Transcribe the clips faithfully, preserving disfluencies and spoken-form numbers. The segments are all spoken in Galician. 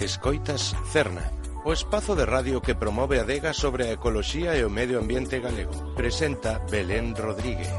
Escoitas Cerna, o espazo de radio que promove a adega sobre a ecoloxía e o medio ambiente galego. Presenta Belén Rodríguez.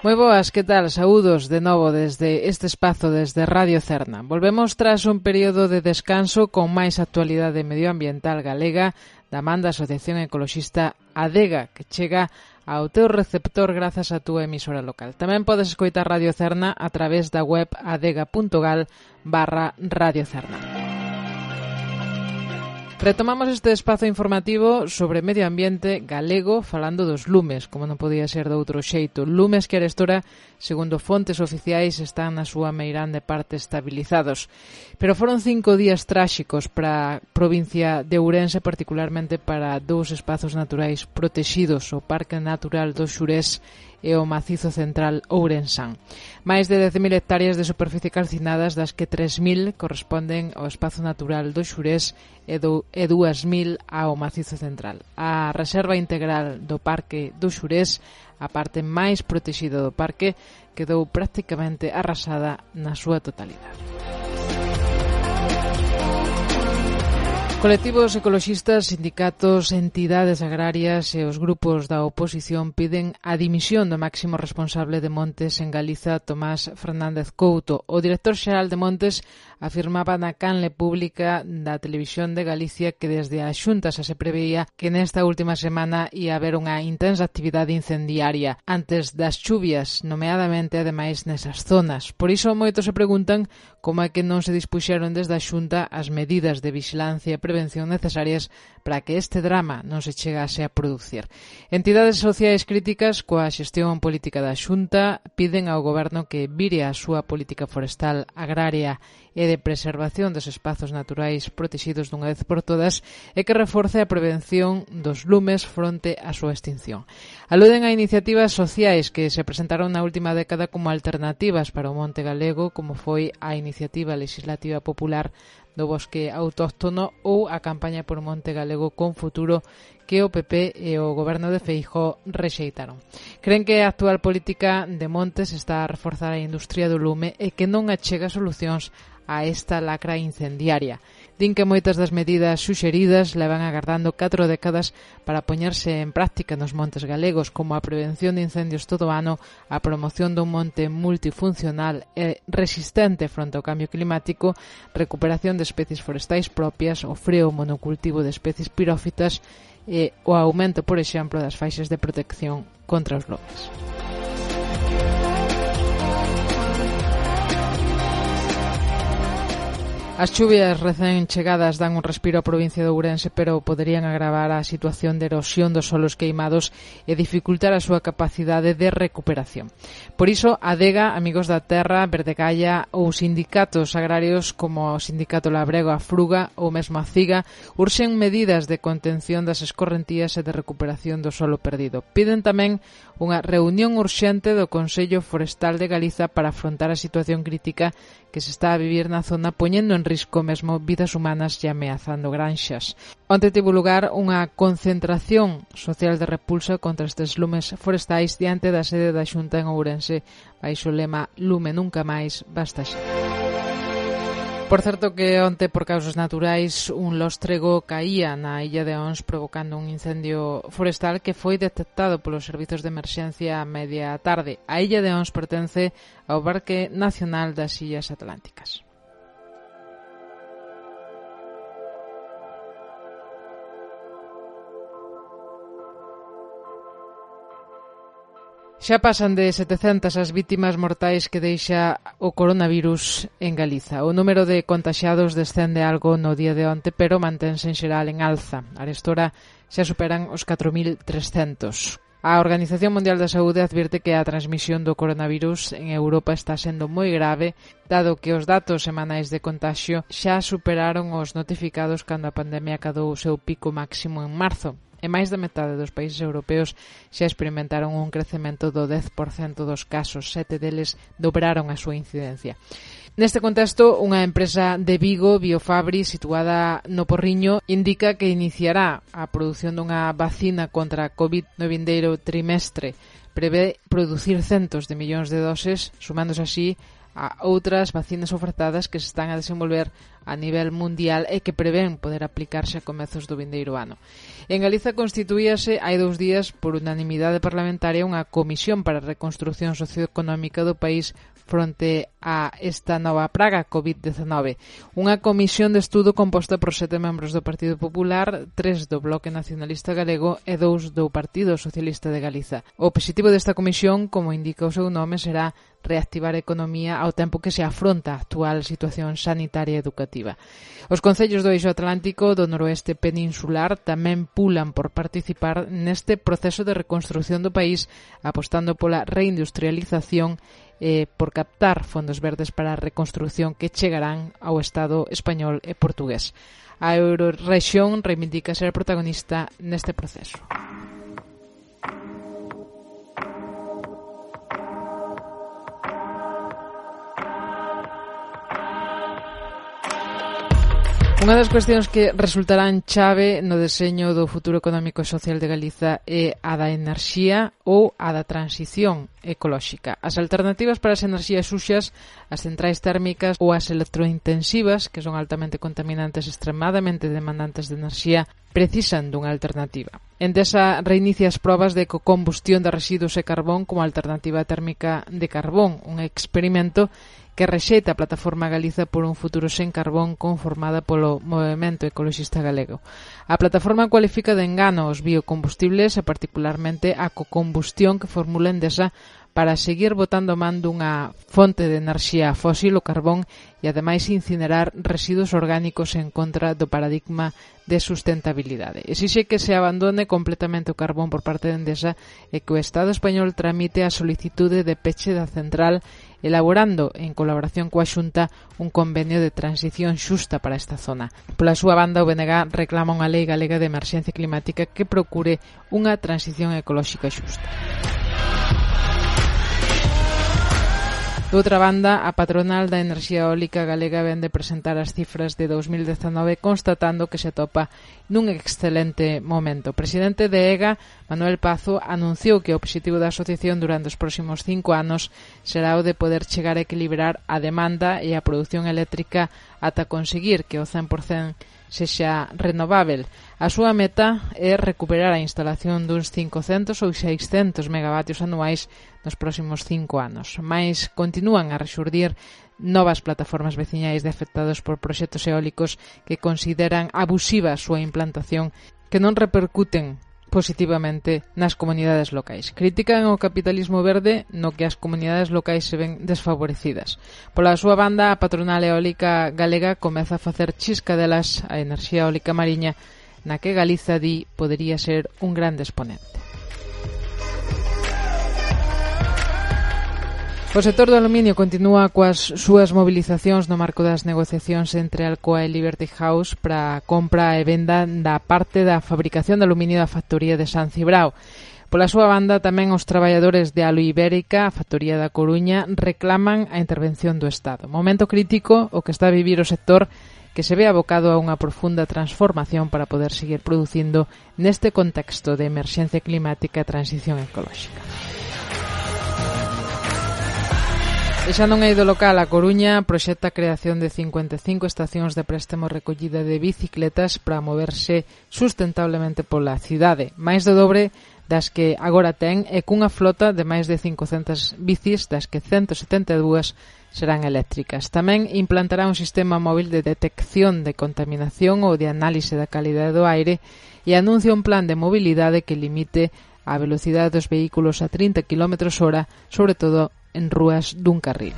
Moi boas, que tal? Saúdos de novo desde este espazo, desde Radio Cerna. Volvemos tras un período de descanso con máis actualidade medioambiental galega da man da Asociación Ecoloxista Adega, que chega ao teu receptor grazas a túa emisora local. Tamén podes escoitar Radio Cerna a través da web adega.gal barra Radio Cerna. Retomamos este espazo informativo sobre medio ambiente galego falando dos lumes, como non podía ser de outro xeito. Lumes que arestora, segundo fontes oficiais, están na súa meirande parte estabilizados. Pero foron cinco días tráxicos para a provincia de Ourense, particularmente para dous espazos naturais protexidos, o Parque Natural do Xurés e o Macizo Central Ourensán. Máis de dez mil hectáreas de superficie calcinadas, das que tres mil corresponden ao espazo natural do Xurés e, do, e dúas mil ao Macizo Central. A reserva integral do Parque do Xurés, a parte máis protexida do parque, quedou prácticamente arrasada na súa totalidade. Colectivos ecoloxistas, sindicatos, entidades agrarias e os grupos da oposición piden a dimisión do máximo responsable de Montes en Galiza, Tomás Fernández Couto. O director xeral de Montes afirmaba na canle pública da Televisión de Galicia que desde a Xunta xa se preveía que nesta última semana ia haber unha intensa actividade incendiaria antes das chuvias, nomeadamente ademais nesas zonas. Por iso moitos se preguntan como é que non se dispuxeron desde a Xunta as medidas de vixilancia e prevención necesarias para que este drama non se chegase a producir. Entidades sociais críticas coa xestión política da Xunta piden ao goberno que vire a súa política forestal, agraria e de preservación dos espazos naturais protexidos dunha vez por todas e que reforce a prevención dos lumes fronte á súa extinción. Aluden a iniciativas sociais que se presentaron na última década como alternativas para o monte galego, como foi a Iniciativa Legislativa Popular do Bosque Autóctono ou a campaña por Monte Galego con Futuro que o P P e o goberno de Feijóo rexeitaron. Creen que a actual política de montes está a reforzar a industria do lume e que non achega solucións a esta lacra incendiaria. Din que moitas das medidas suxeridas levan agardando catro décadas para poñerse en práctica nos montes galegos, como a prevención de incendios todo o ano, a promoción dun monte multifuncional e resistente fronte ao cambio climático, recuperación de especies forestais propias, o freo monocultivo de especies pirófitas e o aumento, por exemplo, das faixas de protección contra os lomes. As chuvias recén chegadas dan un respiro á provincia de Ourense, pero poderían agravar a situación de erosión dos solos queimados e dificultar a súa capacidade de recuperación. Por iso, Adega, Amigos da Terra, Verdegalla ou sindicatos agrarios como o Sindicato Labrego, a Fruga ou mesmo a Ciga urxen medidas de contención das escorrentías e de recuperación do solo perdido. Piden tamén unha reunión urxente do Consello Forestal de Galiza para afrontar a situación crítica que se está a vivir na zona, poñendo en risco mesmo vidas humanas e ameazando granxas. Onte tivo lugar unha concentración social de repulsa contra estes lumes forestais diante da sede da Xunta en Ourense, baixo o lema Lume nunca máis, basta xa. Por certo que onte, por causas naturais, un lóstrego caía na illa de Ons provocando un incendio forestal que foi detectado polos servizos de emerxencia a media tarde. A illa de Ons pertence ao Parque Nacional das Illas Atlánticas. Xa pasan de setecentas as vítimas mortais que deixa o coronavirus en Galiza. O número de contaxiados descende algo no día de onte, pero mantense en xeral en alza. Arestora xa superan os catro mil trescentos. A Organización Mundial da Saúde advirte que a transmisión do coronavirus en Europa está sendo moi grave, dado que os datos semanais de contagio xa superaron os notificados cando a pandemia acadou o seu pico máximo en marzo. e máis da metade dos países europeos xa experimentaron un crecemento do dez por cento dos casos, sete deles dobraron a súa incidencia. Neste contexto, unha empresa de Vigo, Biofabri, situada no Porriño, indica que iniciará a produción dunha vacina contra a COVID no vindeiro trimestre. Prevé producir centos de millóns de doses, sumándose así a outras vacinas ofertadas que se están a desenvolver a nivel mundial e que prevén poder aplicarse a comezos do vindeiro ano. En Galiza constituíase hai dous días por unanimidade parlamentaria unha comisión para a reconstrucción socioeconómica do país fronte a esta nova praga COVID diecinueve. Unha comisión de estudo composta por sete membros do Partido Popular, tres do Bloque Nacionalista Galego e dous do Partido Socialista de Galiza. O obxectivo desta comisión, como indica o seu nome, será reactivar a economía ao tempo que se afronta a actual situación sanitaria e educativa. Os concellos do Eixo Atlántico do noroeste peninsular tamén pulan por participar neste proceso de reconstrucción do país, apostando pola reindustrialización e por captar fondos verdes para a reconstrucción que chegarán ao Estado español e portugués. A Eurorrexión reivindica ser protagonista neste proceso. Unha das cuestións que resultarán chave no deseño do futuro económico e social de Galiza é a da enerxía ou a da transición ecolóxica. As alternativas para as enerxías suxas, as centrais térmicas ou as electrointensivas, que son altamente contaminantes e extremadamente demandantes de enerxía, precisan dunha alternativa. Endesa reinicia as probas de combustión de residuos e carbón como alternativa térmica de carbón, un experimento que rexeita a Plataforma Galiza por un futuro sen carbón conformada polo Movemento Ecoloxista Galego. A plataforma cualifica de engano os biocombustibles e particularmente a cocombustión que formula Endesa para seguir botando man dunha fonte de enerxía fósil, o carbón, e ademais incinerar residuos orgánicos en contra do paradigma de sustentabilidade. Exixe que se abandone completamente o carbón por parte de Endesa e que o Estado español tramite a solicitude de peche da central, elaborando, en colaboración coa Xunta, un convenio de transición xusta para esta zona. Pola súa banda, o B N G reclama unha lei galega de emerxencia climática que procure unha transición ecolóxica xusta. De outra banda, a patronal da enerxía eólica galega vén de presentar as cifras de dos mil diecinueve constatando que se atopa nun excelente momento. O presidente de EGA, Manuel Pazo, anunciou que o obxectivo da asociación durante os próximos cinco anos será o de poder chegar a equilibrar a demanda e a produción eléctrica ata conseguir que o cen por cento sexa renovável. A súa meta é recuperar a instalación duns cincocentos ou seiscentos megavatios anuais nos próximos cinco anos. Mais continúan a rexurdir novas plataformas veciñais de afectados por proxectos eólicos que consideran abusiva a súa implantación, que non repercuten positivamente nas comunidades locais. Critican o capitalismo verde no que as comunidades locais se ven desfavorecidas. Pola súa banda, a patronal eólica galega comeza a facer chiscadelas a enerxía eólica mariña, na que Galiza di podería ser un grande exponente. O sector do aluminio continúa coas súas mobilizacións no marco das negociacións entre Alcoa e Liberty House para a compra e venda da parte da fabricación de aluminio da factoría de San Cibrao. Pola súa banda, tamén os traballadores de Alu Ibérica, a factoría da Coruña, reclaman a intervención do Estado. Momento crítico o que está a vivir o sector, que se ve abocado a unha profunda transformación para poder seguir producindo neste contexto de emerxencia climática e transición ecolóxica. E xa non é do local, a Coruña proxecta a creación de cincuenta e cinco estacións de préstamo recollida de bicicletas para moverse sustentablemente pola cidade, máis do dobre das que agora ten, e cunha flota de máis de cincocentas bicis, das que ciento setenta e dúas serán eléctricas. Tamén implantará un sistema móvil de detección de contaminación ou de análise da calidade do aire e anuncia un plan de mobilidade que limite a velocidade dos vehículos a trinta quilómetros hora, sobre todo en rúas dun carril.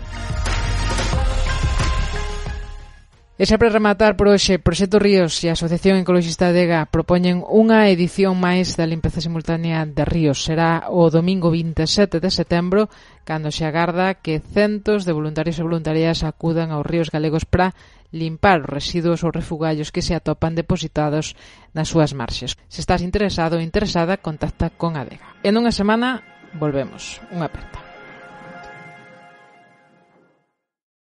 E xa para rematar por hoxe, Proxecto Ríos e a Asociación Ecologista Adega propoñen unha edición máis da limpeza simultánea de ríos. Será o domingo vinte e sete de setembro, cando se agarda que centos de voluntarios e voluntarias acudan aos ríos galegos para limpar os residuos ou refugallos que se atopan depositados nas súas marxes. Se estás interesado ou interesada, contacta con Adega. En unha semana volvemos. Unha aperta.